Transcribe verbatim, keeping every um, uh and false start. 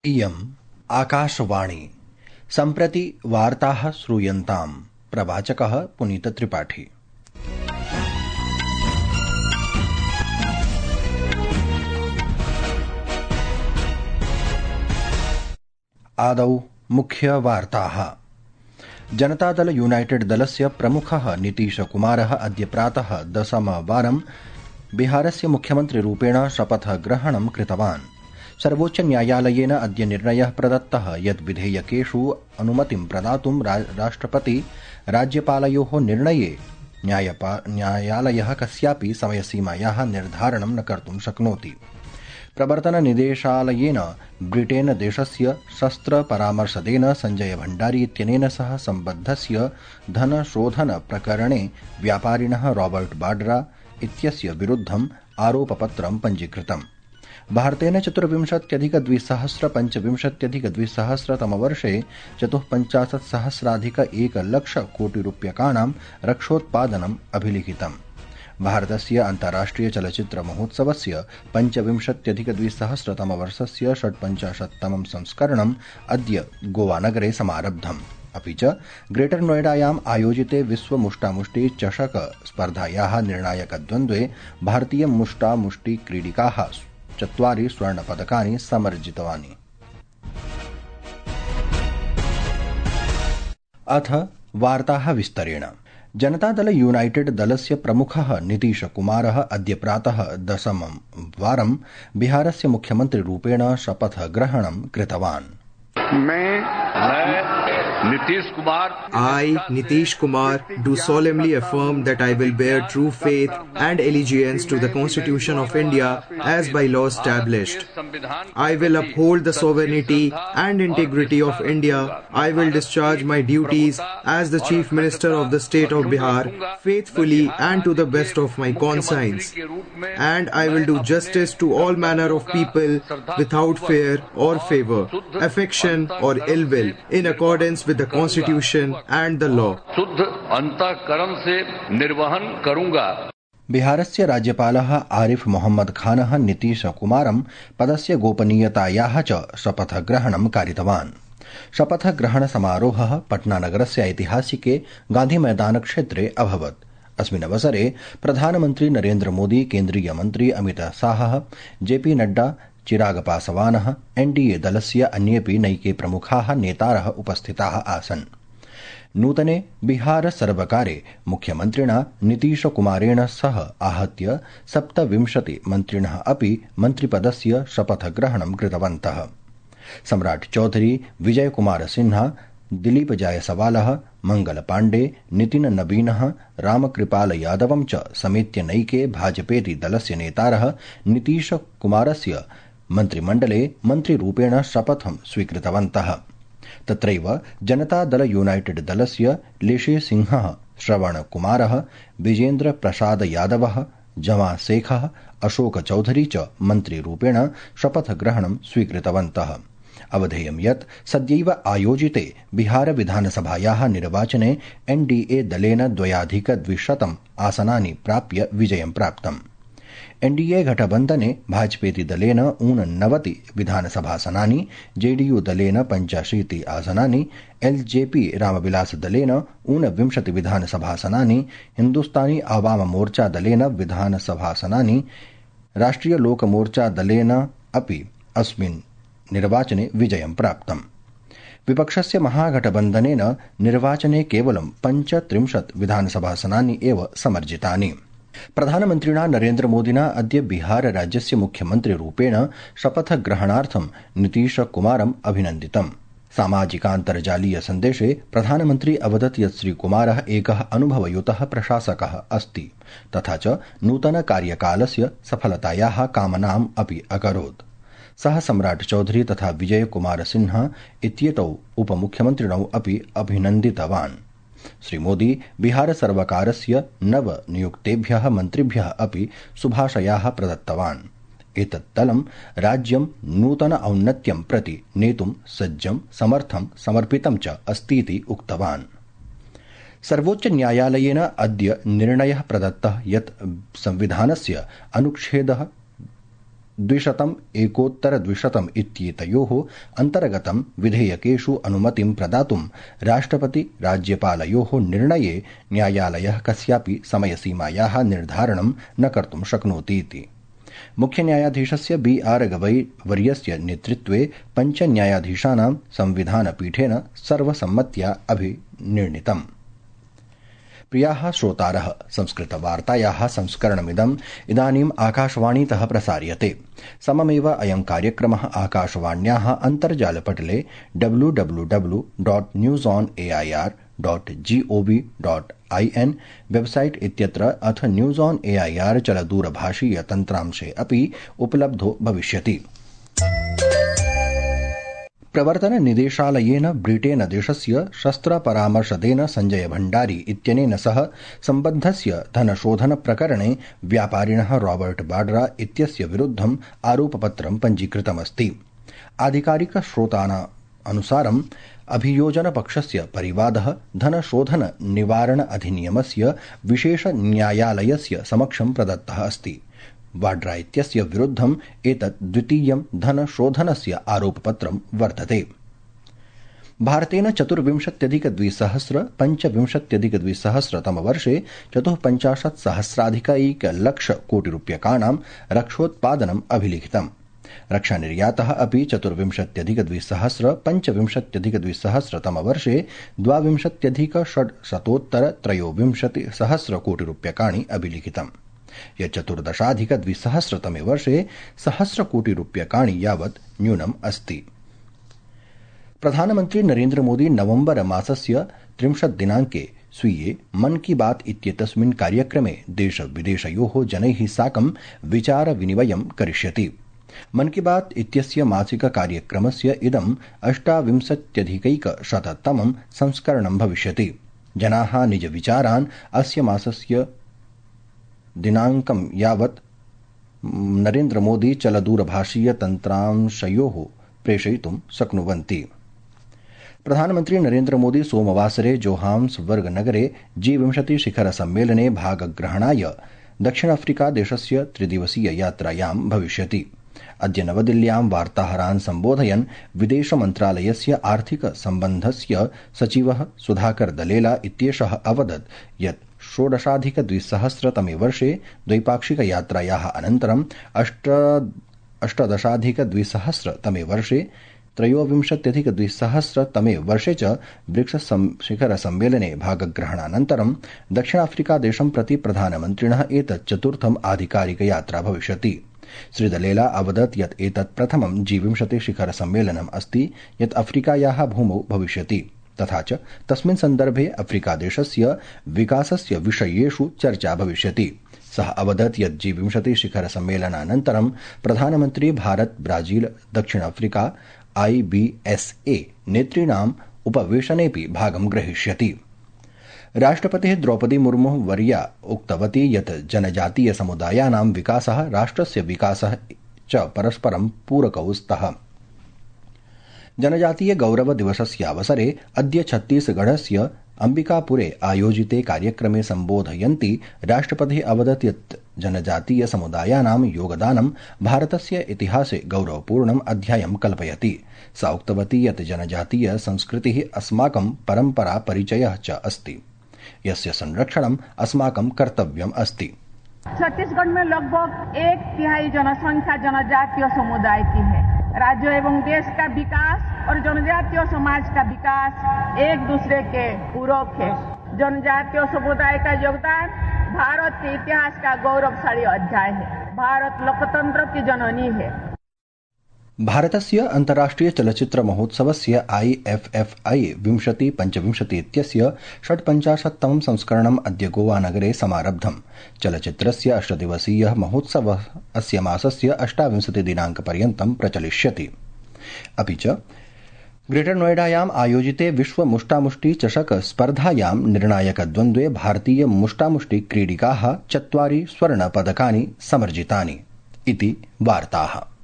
इयम् आकाशवाणी। सम्प्रति वार्ताः श्रूयन्ताम्। प्रवाचकः पुनीतत्रिपाठी। आदौ मुख्यवार्ताः। जनतादल यूनाइटेड दलस्य प्रमुखः नीतीशकुमारः अद्य प्रातः दशमवारं बिहारस्य मुख्यमन्त्रिरूपेण शपथग्रहणं कृतवान्। सर्वोच्चन्यायालयेन अद्य निर्णयः प्रदत्तः यत् विधेयकेषु अनुमतिं प्रदातुं राष्ट्रपति राज्यपालयोः निर्णये न्यायालयः कस्यापि समयसीमायाः निर्धारणं न कर्तुं शक्नोति। प्रवर्तननिदेशालयेन ब्रिटेन देशस्य शस्त्रपरामर्शदेन सञ्जय भण्डारी इत्यनेन सह सम्बद्धस्य धनशोधनप्रकरणे व्यापारिणः रॉबर्ट वाड्रा इत्यस्य विरुद्धम् आरोपपत्रं पञ्जीकृतम्। भारतेन चतुर्विंशत्यधिकद्विसहस्र पञ्चविंशत्यधिकद्विसहस्रतमवर्षे चतुःपञ्चाशत्सहस्राधिक एकलक्षकोटिरूप्यकाणां रक्षोत्पादनम् अभिलिखितम्। भारतस्य अन्ताराष्ट्रियचलच्चित्रमहोत्सवस्य पञ्चविंशत्यधिकद्विसहस्रतमवर्षस्य षट्पञ्चाशत्तमं संस्करणम् अद्य गोवानगरे समारब्धम्। अपि च ग्रेटर नोएडायाम् आयोजिते विश्वमुष्टामुष्टि चषक स्पर्धायाः निर्णायकद्वन्द्वे भारतीय मुष्टामुष्टि क्रीडिकाः चत्वारि स्वर्णपदकानि समर्जितवानि। अथ वार्ताः विस्तरेण। जनतादल यूनाइटेड दलस्य प्रमुखः नीतीशकुमारः अद्य प्रातः दशमं वारं बिहारस्य मुख्यमन्त्रिरूपेण शपथग्रहणं कृतवान्। मैं Nitish Kumar I, Nitish Kumar, do solemnly affirm that I will bear true faith and allegiance to the Constitution of India as by law established. I will uphold the sovereignty and integrity of India. I will discharge my duties as the Chief Minister of the State of Bihar faithfully and to the best of my conscience. And I will do justice to all manner of people without fear or favour, affection or ill will, in accordance with the Constitution and the law. शुद्ध अंतःकरण से निर्वहन करूंगा। बिहारस्य राज्यपालः आरिफ मोहम्मद खानः नीतीशकुमारं पदस्य गोपनीयतायाः च शपथग्रहणं कारितवान्। शपथग्रहणसमारोहः पटनानगरस्य ऐतिहासिके गान्धीमैदानक्षेत्रे अभवत्। अस्मिन् अवसरे प्रधानमन्त्री नरेन्द्र मोदी, केन्द्रीयमन्त्री अमित शाहः, जेपी नड्डा, चिराग पासवानः, एनडीए दलस्य अन्येऽपि नैके प्रमुखाः नेतारः उपस्थिताः आसन्। नूतने बिहार सर्वकारे मुख्यमन्त्रिणा नीतीशकुमारेण सह आहत्य सप्तविंशति मन्त्रिणः अपि मन्त्रिपदस्य शपथग्रहणं कृतवन्तः। सम्राट चौधरी, विजयकुमार सिन्हा, दिलीप जायसवालः, मंगल पाण्डे, नितिन नवीनः, रामकृपाल यादवं च समेत्य नैके भाजपेति दलस्य नेतारः नीतीशकुमारस्य मन्त्रिमण्डले मन्त्रिरूपेण शपथं स्वीकृतवन्तः। तत्रैव जनतादल यूनाइटेड दलस्य लेशे सिंहः, श्रवणकुमारः, विजेन्द्र प्रसाद यादवः, जमा शेखः, अशोक चौधरी च मन्त्रिरूपेण शपथग्रहणं स्वीकृतवन्तः। अवधेयं यत् सद्यैव आयोजिते बिहार विधानसभायाः निर्वाचने एनडीए दलेन द्वयाधिकद्विशतम् आसनानि प्राप्य विजयं प्राप्तम्। एनडीए घटबन्धने भाजपेति दलेन ऊननवति विधानसभासनानि, जेडीयू दलेन पञ्चाशीति आसनानि, एलजेपी रामविलास दलेन ऊनविंशति विधानसभासनानि, हिन्दुस्तानी आवाम मोर्चा दलेन विधानसभासनानि, राष्ट्रिय लोकमोर्चा दलेन अपि अस्मिन् निर्वाचने विजयं प्राप्तम्। विपक्षस्य महागठबन्धनेन निर्वाचने केवलं पञ्चत्रिंशत् विधानसभासनानि एव समर्जितानि। प्रधानमन्त्रिणा नरेन्द्र मोदिना अद्य बिहार राज्यस्य मुख्यमन्त्रिरूपेण शपथग्रहणार्थं नीतीशकुमारम् अभिनन्दितम्। सामाजिकान्तर्जालीय सन्देशे प्रधानमन्त्री अवदत् यत् श्रीकुमारः एकः अनुभवयुतः प्रशासकः अस्ति, तथा च नूतन कार्यकालस्य सफलतायाः कामनाम् अपि अकरोत्। सः सम्राट चौधरी तथा विजय कुमार सिन्हा इत्येतौ उपमुख्यमन्त्रिणौ अपि अभिनन्दितवान्। श्रीमोदी बिहार सर्वकारस्य नव नियुक्तेभ्यः मन्त्रिभ्यः अपि शुभाशयाः प्रदत्तवान्। एतत् दलं राज्यं नूतन औन्नत्यं प्रति नेतुं सज्जं, समर्थं, समर्पितं च अस्तीति उक्तवान्। सर्वोच्चन्यायालयेन अद्य निर्णयः प्रदत्तः यत् संविधानस्य अनुच्छेदः द्विशतम् एकोत्तर द्विशतम् इत्येतयोः अन्तर्गतं विधेयकेषु अनुमतिं प्रदातुं राष्ट्रपति राज्यपालयोः निर्णये न्यायालयः कस्यापि समयसीमायाः निर्धारणं न कर्तुं शक्नोतीति। मुख्य न्यायाधीशस्य बी आर गवई वर्यस्य नेतृत्वे पञ्च न्यायाधीशानां संविधानपीठेन सर्वसम्मत्या अभिनिर्णीतम्। प्रियाः श्रोतारः, संस्कृतवार्तायाः संस्करणमिदम् इदानीम् आकाशवाणीतः प्रसार्यते। सममेव अयं कार्यक्रमः आकाशवाण्याः अन्तर्जालपटले W W W dot news on A I R dot G O V dot I N website इत्यत्र अथ news on A I R चलदूरभाषीय तन्त्रांशे अपि उपलब्धो भविष्यति। प्रवर्तन निदेशालयेन ब्रिटेन देशस्य शस्त्रपरामर्शदेन संजय भण्डारी इत्यनेन सह सम्बद्धस्य धनशोधन प्रकरणे व्यापारिणः रॉबर्ट वाड्रा इत्यस्य विरुद्धम् आरोपपत्रं पञ्जीकृतमस्ति। आधिकारिक श्रोतानां अनुसारम् अभियोजनपक्षस्य परिवादः धनशोधन निवारण अधिनियमस्य विशेष न्यायालयस्य समक्षं प्रदत्तः अस्ति। वाड्रा इत्यस्य विरुद्धम् एतत् द्वितीयं धनशोधनस्य आरोपपत्रं वर्तते। भारतेन चतुर्विंशत्यधिकद्विसहस्र पञ्चविंशत्यधिकद्विसहस्रतमवर्षे चतुःपञ्चाशत् सहस्राधिकैकलक्ष कोटिरूप्यकाणां रक्षोत्पादनम् अभिलिखितम्। रक्षानिर्यातः अपि चतुर्विंशत्यधिकद्विसहस्र पञ्चविंशत्यधिकद्विसहस्रतमवर्षे द्वाविंशत्यधिकषड्शतोत्तर त्रयोविंशतिसहस्र कोटिरूप्यकाणि अभिलिखितम्। चतुर्दशाधिकद्विसहस्रतमे वर्षे सहस्रकोटिरूप्यकाणि यावत् न्यूनम् अस्ति। प्रधानमन्त्री नरेन्द्र मोदी नवम्बर मासस्य त्रिंशत् दिनाङ्के स्वीये मन की बात इत्येतस्मिन् कार्यक्रमे देशविदेशयोः जनैः साकं विचारविनिमयं करिष्यति। मन की बात इत्यस्य मासिक कार्यक्रमस्य इदम् अष्टाविंशत्यधिकैकशततमं संस्करणं भविष्यति। जनाः निजविचारान् अस्य मासस्य दिनाङ्कं यावत् नरेन्द्रमोदी चलदूरभाषीय तन्त्रांशयोः प्रेषयितुं शक्नुवन्ति। प्रधानमन्त्री नरेन्द्रमोदी सोमवासरे जोहान्सबर्ग नगरे जी विंशति शिखर सम्मेलने भागग्रहणाय दक्षिण अफ्रीका देशस्य त्रिदिवसीय यात्रायां भविष्यति। अद्य नवदिल्ल्यां वार्ताहरान् सम्बोधयन् विदेश मन्त्रालयस्य आर्थिक सम्बन्धस्य सचिवः सुधाकर दलेला इत्येषः अवदत् यत् षोडशाधिकद्विसहस्रतमे वर्षे द्वैपाक्षिक यात्रायाः अनन्तरम् अष्ट अष्टदशाधिकद्विसहस्रतमे वर्षे त्रयोविंशत्यधिकद्विसहस्रतमे वर्षे च ब्रिक्स शिखर सम्मेलने भागग्रहणानन्तरं दक्षिणाफ्रिकादेशं प्रति प्रधानमन्त्रिणः एतत् चतुर्थम् आधिकारिक यात्रा भविष्यति। श्रीदलेला अवदत् यत् एतत् प्रथमं जी विंशति शिखर सम्मेलनम् अस्ति यत् अफ्रीकायाः भूमौ भविष्यति तथा च तस्मिन् सन्दर्भे अफ्रीकादेशस्य विकासस्य विषयेषु चर्चा भविष्यति। सः अवदत् यत् जी विंशति शिखर सम्मेलनानन्तरं प्रधानमन्त्री भारत ब्राजील दक्षिण Africa I B S A नेतॄणाम् उपवेशनेऽपि भागं ग्रहीष्यति। राष्ट्रपतिः द्रौपदी मुर्मु वर्या उक्तवती यत् जनजातीय समुदायानां विकासः राष्ट्रस्य विकासः च परस्परं पूरकौ स्तः। जनजातीय गौरव दिवसस्यावसरे अद्य छत्तीसगढ़स्य अंबिकापुरे आयोजिते कार्यक्रमे सम्बोधयन्ती राष्ट्रपतिः अवदत् यत् जनजातीय समुदायानां योगदानं भारतस्य इतिहासे गौरवपूर्णम् अध्यायं कल्पयति। सा उक्तवती यत् जनजातीय संस्कृतिः अस्माकं परम्परा परिचयः च अस्ति यस्य संरक्षणम् अस्माकं कर्तव्यम् अस्ति। छत्तीसगढ़ में लगभग एक तिहाई जनसंख्या जनजातीय समुदाय की है। राज्य एवं देश का विकास और जनजातीय समाज का विकास एक दूसरे के पूरक है। जनजातीय समुदाय का योगदान भारत के इतिहास का गौरवशाली अध्याय है। भारत लोकतंत्र की जननी है। भारतस्य अन्ताराष्ट्रिय चलच्चित्र महोत्सवस्य आई एफ एफ आई विंशति पंचविंशति इत्यस्य षट्पञ्चाशत्तमं संस्करणम् अद्य गोवानगरे समारब्धम्। चलच्चित्रस्य अष्टदिवसीयः महोत्सवः अस्य मासस्य अष्टाविंशति दिनाङ्कपर्यन्तं प्रचलिष्यति। अपि च ग्रेटर नोएडायाम् आयोजिते विश्व मुष्टामुष्टि चषक स्पर्धायां निर्णायकद्वन्द्वे भारतीय मुष्टामुष्टि क्रीडिकाः चत्वारि स्वर्णपदकानि समर्जितानि इति वार्ताः।